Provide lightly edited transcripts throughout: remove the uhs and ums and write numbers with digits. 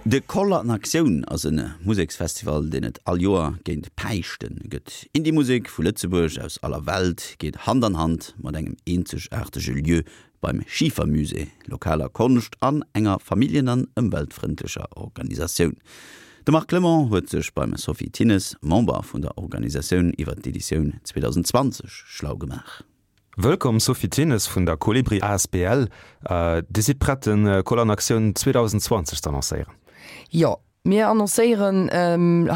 De Koll an Aktioun ass e Museksfestival, deen et all Joer géint Päischte gëtt. Indie-Musek vu Lëtzebuerg, aus aller Welt geet Hand an Hand mat engem eenzegaartege Lieu beim Schifermusée, lokaler Konscht an enger familljen an ëmweltfrëndlecher Organisatioun. De Marc Clement huet sech beim Sophie Thinnes, Member vun der Organisatioun, iwwer d'Editioun 2020 schlau gemaach. Wëllkomm Sophie Thinnes vun der Kolibri asbl. Dir sidd prett de Koll an Aktioun 2020 z'annoncéieren? Jo, mir annoncéieren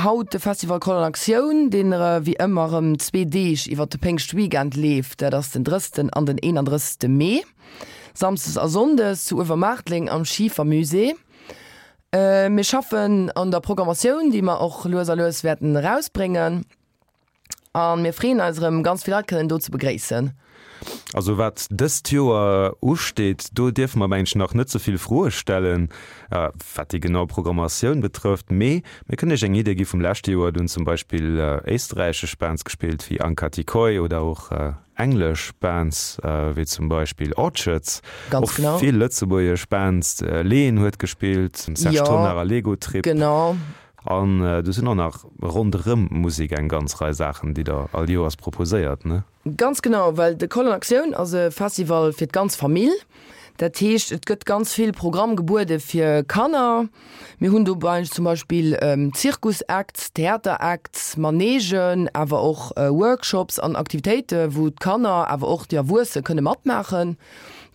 haut de Festival Koll an Aktioun, deen wéi ëmmer erëm zwee Deeg iwwer de Péngschtweekend leeft. Dat ass den 30. an den 31. Mee, Samsdes a Sonndes zu Uewermaartléng am Schifermusée. Mir schaffen an der Programmatioun, déi mer och lues a lues wäerten erausbréngen. A mir freeën eis erëm ganz vill Leit kënnen do ze begréissen. Also wat dëst Joer usteet, do dierfe mer mengen ech nach net ze vill Froe stellen, wat déi genau Programmatioun betrëfft. Mee mir kënnen Iech eng Idee gi vum leschte Joer. Do hunn zum Beispill éisträichesch Bands gespillt wéi Anka Tikoi oder och englesch Bands wéi zum Beispill Orchards. Ganz genau. Och vill lëtzebuergesch Bands, Leen huet gespillt, Serge Tonnar a Lego Trip. Genau. An do sinn och nach ronderëm d'Musek eng ganz Rei Saachen, déi Der all Joers proposéiert, ne? Ganz genau, well de Koll an Aktioun ass e Festival fir d'ganz Famill. Dat heescht, et gëtt ganz vill Programm gebuede fir Kanner. Mir hunn dobäi zum Beispill Zirkusacts, Theateracts, Manegen, awer och Workshops an Aktivitéite wou d'Kanner, awer och déi Erwuesse kënne matmaachen.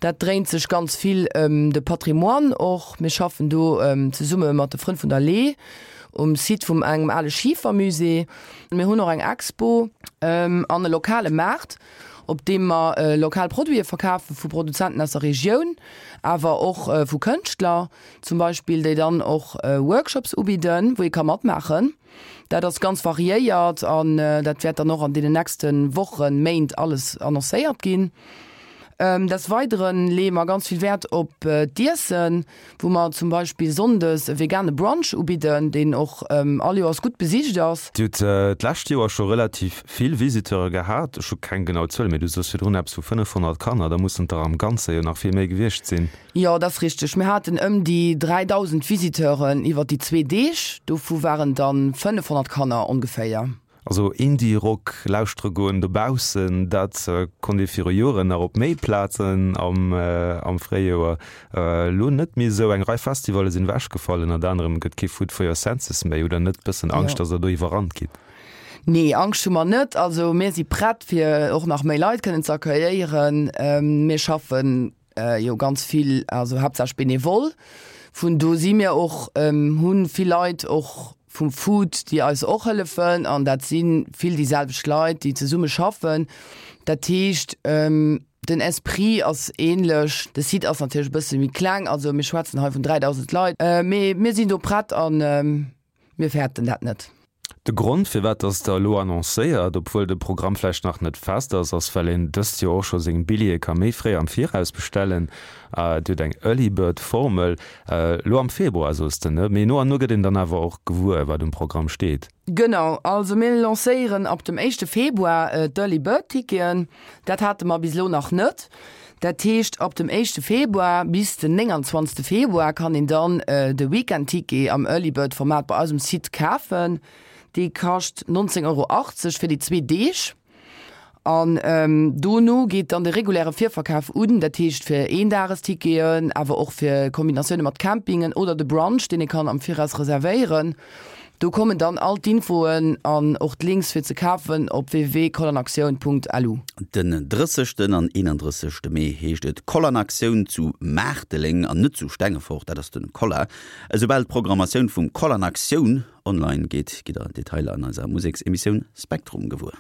Dat dréint sech ganz vill ëm de Patrimoine och. Mir schaffen do zesumme mat de Frënn vun der Lee um Site vum engem ale Schifermusée. Mir hunn och eng Expo an e lokale Maart, op deem mer lokal Produite verkafe vu Produzenten aus der Regioun, awer och vu Kënschtler zum Beispill, déi dann och Workshops ubidden, wou ee ka matmaachen. Dat ass ganz variéiert an dat wäert dann och an deenen nächste Wochen, Méint alles annoncéiert ginn. Des Weidere leeë mer ganz vill Wäert op d'Iessen, wou mer zum Beispill sonndes e vegane Brunch ubidden, deen och all Joers gutt besicht ass. Dir hutt d'lescht Joer scho relativ vill Visiteure gehat. Ech hu keng genau Zuel, mee du sos virdrun eppes vu 500 Kanner. Da mussen et der am Ganze jo nach vill méi gewiescht sinn. Jo, dat ass richteg. Mir haten ëm déi 3.000 Visiteuren iwwer déi zwee Deeg. Dovu waren dann 500 Kanner ongeféier. Also Indie-Rock lauschtere goen dobaussen, dat konnt ee viru Joren nach op méi Plazen am Fréijoer. Elo net méi esou. Eng Rei Festivalle sinn ewechgefall, ënnert anerem gëtt kee Food for your Senses méi. Hutt der net bëssen Angscht, datt der do iwwerrannt gitt? Nee, Angscht hu mer net. Also mir si prett fir och nach méi Leit kënnen ze accueilléieren. Mir schaffen jo ganz vill, also haaptsächlech bénévol. Vun do si mir och, hu vill Leit och vum Food, déi eis och hëllefen an dat si vill déi selwecht Leit, déi zesumme schaffen. Dat heescht, den Esprit ass änlech. De Site ass natierlech e bësse méi kleng, also mir schwätzen hei vun 3.000 Leit, mee mir sinn do prett an Mir fäerten dat net. De Grond, firwat dass Der elo annoncéiert, obwuel de Programm vläicht nach net fest ass, ass, well een dëst Joer och scho seng Billjeeë ka méi fréi am Viraus bestellen. Dir hutt eng Early Bird Formel elo am Februar, soos de, ne? Mee no an no gëtt een dann awer och gewuer, wat um Programm steet. Genau, also mir lancéieren ab dem éischte Februar d'Early Bird Ticketen. Dat hate mer bis elo nach net. Dat heescht, ab dem éischte Februar bis den 29. Februar kann een dann de Weekend-Ticket am Early Bird Format bei eis um Site kafen. Dee kascht 19,80 Euro fir déi zwee Deeg. An dono geet dann de reguläre Virverkaf un, dat heescht fir Eendagesticketen, awer och fir Kombinatioune mat Campingen oder de Brunch, deen ee kann am Viraus reservéieren. Do kommen dann all d'Infoen an och d'Links fir ze kafen op www.kollanaktioun.lu. Den 30. An 31. Mee heescht et Kollanaktioun zu Maarteleng an net zu Stengefort, dat ass de Kolla. Esoubal d'Programmatioun vum Kollanaktioun online geet, gitt der Detailer an eiser Museksemissioun Spektrum gewuer.